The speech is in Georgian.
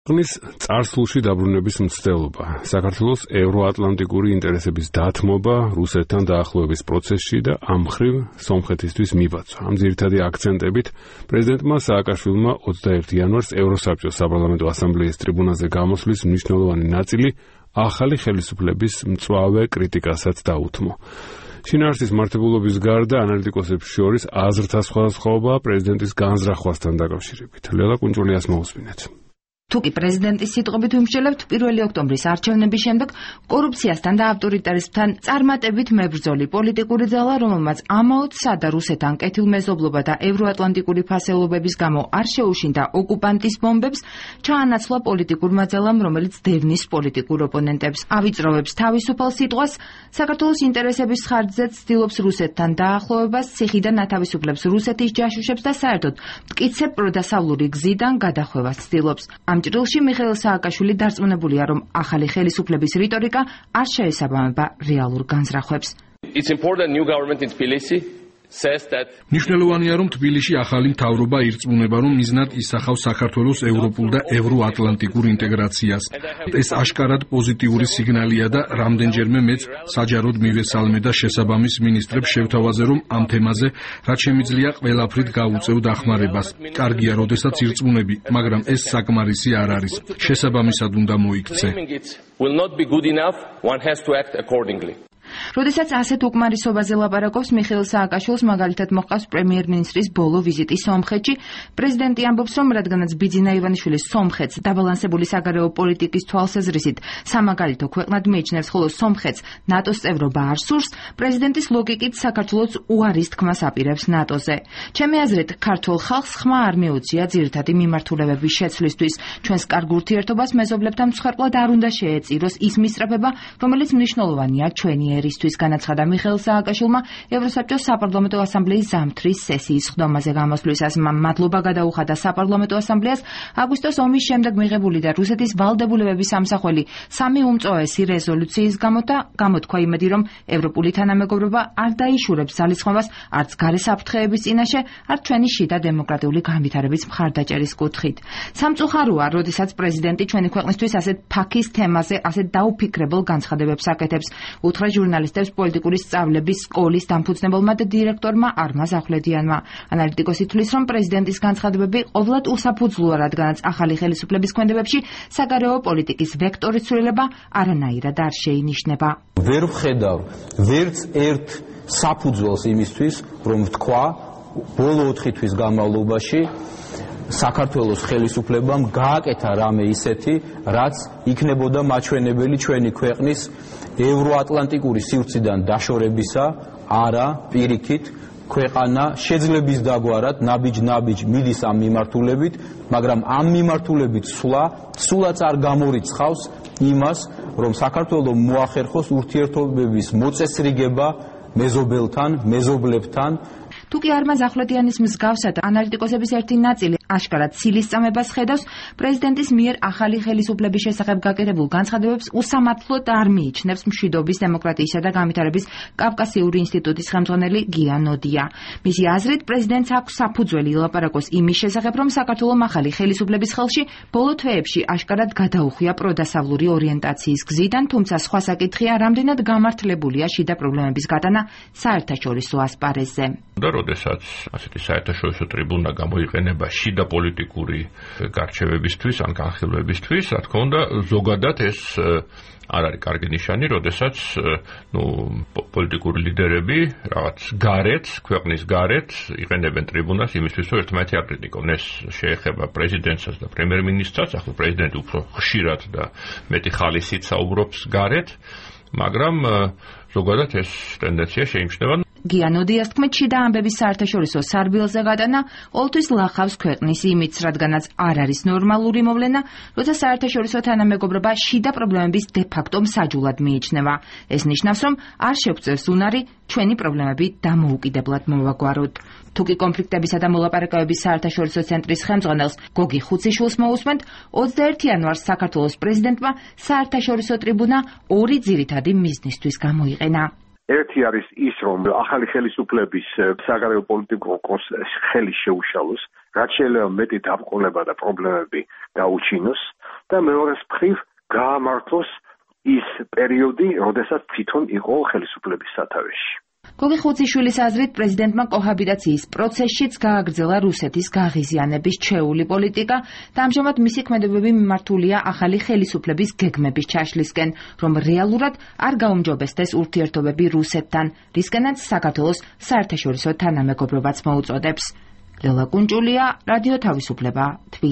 ქვეყნის წარსულში დაბრუნების მცდელობა, საქართველოს ევროატლანტიკური ინტერესების დათმობა, რუსეთთან დაახლოების პროცესში და ამ მხრივ სომხეთისთვის მიბაძვა. ამ ძირითადი აქცენტებით პრეზიდენტმა სააკაშვილმა 21 იანვარს ევროსაბჭოს საპარლამენტო ასამბლეის ტრიბუნაზე გამოსვლის მნიშვნელოვანი ნაწილი ახალი ხელისუფლების მწვავე კრიტიკასაც დაუთმო. შინაარსის მართებულობის გარდა ანალიტიკოსებს შორის აზრთა სხვადასხვაობაა პრეზიდენტის განზრახვასთან დაკავშირებით. ლელა კუნჭულიას მოусმინეთ. თუკი პრეზიდენტის სიტყვებით ვიმსჯელებთ, 1 ოქტომბრის არჩევნების შემდეგ კორუფციასთან და ავტორიტარიზმთან წარმატებით მებრძოლი პოლიტიკური ძალა, რომელმაც ამაოთსა და რუსეთთან კეთილმეზობლობა და ევროატლანტიკური ფასეულობების გამო არ შეუშინდა ოკუპანტის ბომბებს, ჩაანაცვლა პოლიტიკურმა ძალამ, რომელიც დევნის პოლიტიკურ ოპონენტებს ავიწროვებს თავისუფალ სიტყვას, საქართველოს ინტერესების ხარჯზეც ცდილობს რუსეთთან დაახლოებას, ციხიდან ათავისუფლებს რუსეთის ჯაშუშებს და საერთოდ მტკიცე პროდასავლური გზიდან გადახვევას ცდილობს. ამ ჭრილში მიხეილ სააკაშვილი დარწმუნებულია, რომ ახალი ხელისუფლების რიტორიკა არ შეესაბამება რეალურ განზრახვებს. მნიშვნელოვანია, რომ თბილისში ახალი მთავრობა ირწმუნება, რომ მიზნად ისახავს საქართველოს ევროპულ და ევროატლანტიკურ ინტეგრაციას. ეს აშკარად პოზიტიური სიგნალია და რამდენჯერმე მეც საჯაროდ მივესალმე და შესაბამის მინისტრებს შევთავაზე, რომ ამ თემაზე რაც შემიძლია ყველაფრით გაუწევ დახმარებას. კარგია, როდესაც ირწმუნები, მაგრამ ეს საკმარისი არ არის. შესაბამისად უნდა მოიქცე. როდესაც ასეთ უკმარისობაზე ლაპარაკობს, მიხეილ სააკაშვილს მაგალითად მოჰყავს პრემიერ-მინისტრის ბოლო ვიზიტი სომხეთში. პრეზიდენტი ამბობს, რომ რადგანაც ბიძინა ივანიშვილი სომხეთს დაბალანსებული საგარეო პოლიტიკის თვალსაზრისით სამაგალითო ქვეყნად მიიჩნევს, ხოლო სომხეთს ნატოს წევრობა არ სურს, პრეზიდენტის ლოგიკით საქართველოს უარის თქმას აპირებს ნატოზე. ჩემი აზრით, ქართულ ხალხს ხმა არ მიუწია ძირითადი მიმართულებების შეცვლისთვის. ჩვენს კარგ ურთიერთობას მეზობლებთან მსხვერპლად არ უნდა შეეწიროს ის მისწრაფება, რომელიც მნიშვნელოვანია ჩვენი ერისთვის, განაცხადა მიხეილ სააკაშვილმა ევროსაბჭოს საპარლამენტო ასამბლეის ზამთრის სესიის ხდომაზე გამოსვლისას. მადლობა გადაუხადა საპარლამენტო ასამბლეას აგვისტოს ომის შემდეგ მიღებული და რუსეთის ვალდებულებების ამსახველი 3 უმწოვესი რეზოლუციის გამო და გამოთქვა იმედი, რომ ევროპული თანამეგობრობა არ დაიშურებს ძალისხმევას არც გარე საფრთხეების წინაშე, არც ჩვენი შიდა დემოკრატიული განვითარების მხარდაჭერის კუთხით. სამწუხაროა, როდესაც პრეზიდენტი ჩვენი ქვეყნისთვის ასეთ ფაქის თემაზე ასეთ დაუფიქრებელ განცხადებებს აკეთებს, უთხრა ჟურნალისტებს პოლიტიკური სწავლების სკოლის დამფუძნებელმა და დირექტორმა არმაზ ახვლედიანმა. ანალიტიკოსი თვლის, რომ პრეზიდენტის განცხადებები ყოვლად უსაფუძვლოა, რადგანაც ახალი ხელისუფლების ქმედებებში საგარეო პოლიტიკის ვექტორის ცვლილება არანაირად არ შეინიშნება. ვერ ვხედავ ვერც ერთ საფუძველს იმისთვის, რომ ვთქვა ბოლო 4 თვის განმავლობაში საქართველოს ხელისუფლებამ გააკეთა რამე ისეთი, რაც იქნებოდა მაჩვენებელი ჩვენი ქვეყნის ევროატლანტიკური სივრციდან დაშორებისა, არა პირიქით ქვეყანა შეძლების დაგვარად ნაბიჯ მიდის ამ მიმართულებით, მაგრამ ამ მიმართულებით სულაც არ გამორიცხავს იმას, რომ საქართველოს მოახერხოს ურთიერთობების მოწესრიგება მეზობელთან, მეზობლებთან. თუკი არმაზ ახვლედიანის მსგავსად ანალიტიკოსების ერთი ნაწილი აშკარად ცილის წამებას ხედავს, პრეზიდენტის მიერ ახალი ხელისუფლების შესახებ გაკეთებულ განცხადებებს უსამართლოდ არ მიიჩნევს მშვიდობის, დემოკრატიისა და განვითარების კავკასიური ინსტიტუტის ხელმძღვანელი გია ნოდია. მისი აზრით, პრეზიდენტს აქვს საფუძველი ილაპარაკოს იმის შესახებ, რომ საქართველოს ახალი ხელისუფლების ხელში ბოლო თვეებში აშკარად გადაუხვია პროდასავლური ორიენტაციის გზიდან, თუმცა სხვა საკითხია, რამდენად გამართლებულია შიდა პრობლემების გატანა საერთაშორისო ასპარეზზე. როდესაც ასეთი საერთაშორისო ტრიბუნა გამოიყენება შიდა პოლიტიკური გარჩევებისთვის ან განხილვებისთვის, რა თქმა უნდა, ზოგადად ეს არ არის კარგი ნიშანი, როდესაც პოლიტიკური ლიდერები რაღაც გარეთ, ქვეყნის გარეთ იყენებენ ტრიბუნას იმისთვის, რომ ერთმანეთი აკრიტიკონ. ეს შეეხება პრეზიდენტსაც და პრემიერ-მინისტრსაც, ახლა პრეზიდენტი უფრო ხშირად და მეტი ხალისით საუბრობს გარეთ, მაგრამ ზოგადად ეს ტენდენცია შეიმჩნევა. გია ნოდიას თქმით, შიდა ამბების საერთაშორისო სარბილზე გატანა ყოველთვის ლახავს ქვეყნის იმიჯს, რადგანაც არ არის ნორმალური მოვლენა, როცა საერთაშორისო თანამეგობრობა შიდა პრობლემების დე-ფაქტო მსაჯულად მიიჩნევა. ეს ნიშნავს, რომ არ შეგვწევს უნარი ჩვენი პრობლემები დამოუკიდებლად მოვაგვაროთ. თუკი კონფლიქტებისა და მოლაპარაკებების საერთაშორისო ცენტრის ხელმძღვანელს გოგი ხუციშვილს მოусმენთ, 21 იანვარს საქართველოს პრეზიდენტმა საერთაშორისო ტრიბუნა 2 ძირითადი მიზნისთვის გამოიყენა. ერთი არის ის, რომ ახალი ხელისუფლების საგარეო პოლიტიკურ ხელი შეუშალოს, რაც შეიძლება მეტი დაბრკოლება და პრობლემები გაუჩინოს. და მეორეს მხრივ გაამართლოს ის პერიოდი, როდესაც თვითონ იყო ხელისუფლების სათავეში. გოგი ხუციშვილის აზრით პრეზიდენტმა კოჰაბიტაციის პროცესშიც გააგრძელა რუსეთის გაღიზიანების ჩვეული პოლიტიკა და ამჟამად მისი ქმედებები მიმართულია ახალი ხელისუფლების გეგმების ჩაშლისკენ, რომ რეალურად არ გაუმჯობესდეს ურთიერთობები რუსეთთან, რისკენაც საქართველოს საერთაშორისო თანამეგობრობაც მოუწოდებს. ლელა კუნჭულია, რადიო თავისუფლება, თბილისი.